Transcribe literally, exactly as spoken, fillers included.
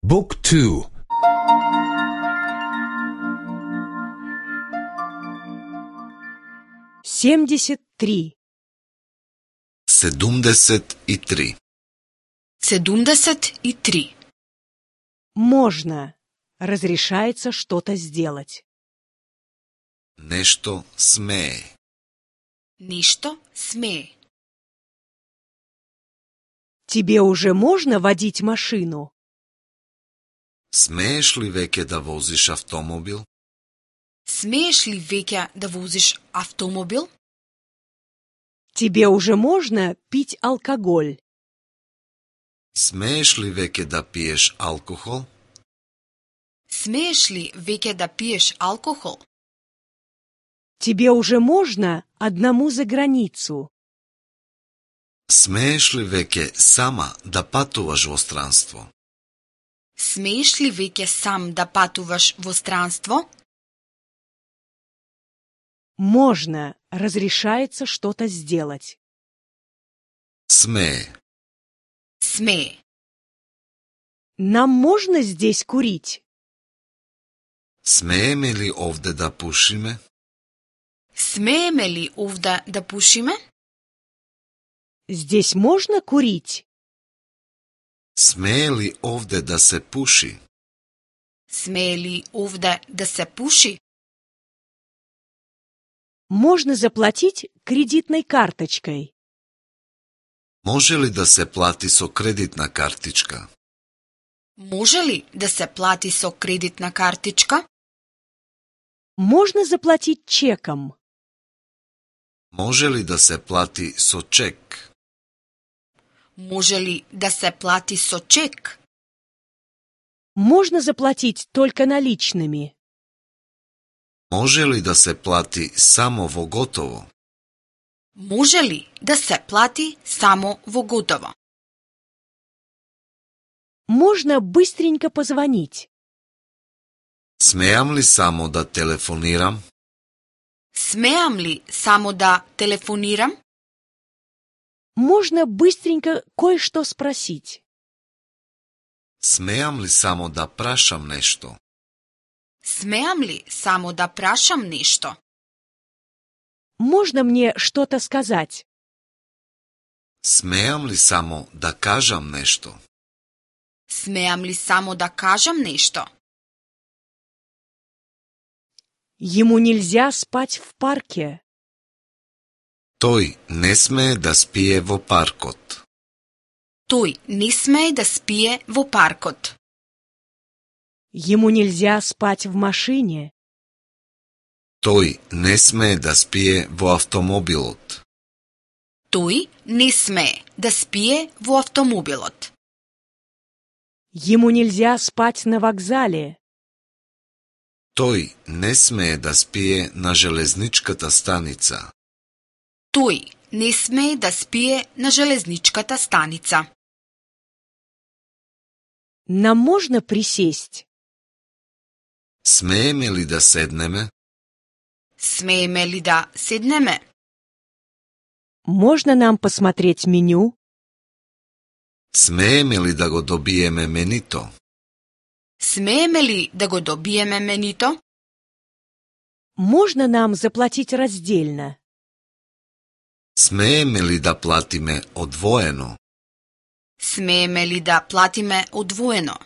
Book two. семьдесят три. седумдесет и три. седумдесет и три. Можно. Разрешается что-то сделать. Нешто смее. Нешто смее. Тебе уже можно водить машину? Смееш ли веќе да возиш автомобил? Смееш ли веќе да возиш автомобил? Тебе уже можно пить алкоголь? Смееш ли веќе да пиеш алкохол? Смееш ли веќе да пиеш алкохол? Тебе уже можно одному за границу? Смееш ли веќе сама да патуваш во странство? Смееш ли веќе сам да патуваш во странство? Можно. Разрешается что-то сделать. Смее. Смее. Нам можно здесь курить? Смееме ли овде да пушиме? Смееме ли овде да пушиме? Здесь можно курить? Смее ли овде да се пуши? Смее ли овде да се пуши? Можно заплатить кредитной карточкой. Може ли да се плати со кредитна картичка? Може ли да се плати со кредитна картичка? Можно заплатить чеком. Може ли да се плати со чек? Може ли да се плати со чек? Можно заплатить только наличными. Може ли да се плати само во готово? Може ли да се плати само во готово? Можно быстренько позвонить. Смеам ли само да телефонирам? Смеам ли само да телефонирам? Можно быстренько кое-что спросить. Смеам ли само да прашам нешто? Смеам ли само да прашам нешто? Можно мне что-то сказать? Смеам ли само да кажам нешто? Смеам ли само да кажам нешто? Ему нельзя спать в парке. Тој не смее да спие во паркот. Тој не смее да спие во паркот. Ему нельзя спать в машине. Тој не смее да спие во автомобилот. Тој не смее да спие во автомобилот. Ему нельзя спать на вокзале. Тој не смее да спие на железничката станица. Тој не смее да спие на железничката станица. Нам можно присесть? Смееме ли да седнеме? Смееме ли да седнеме? Можно нам посмотреть меню? Смееме ли да го добиеме менито? Смееме ли да го добиеме менито? Можно нам заплатить раздельно? Смееме ли да платиме одвоено? Смееме ли да платиме одвоено?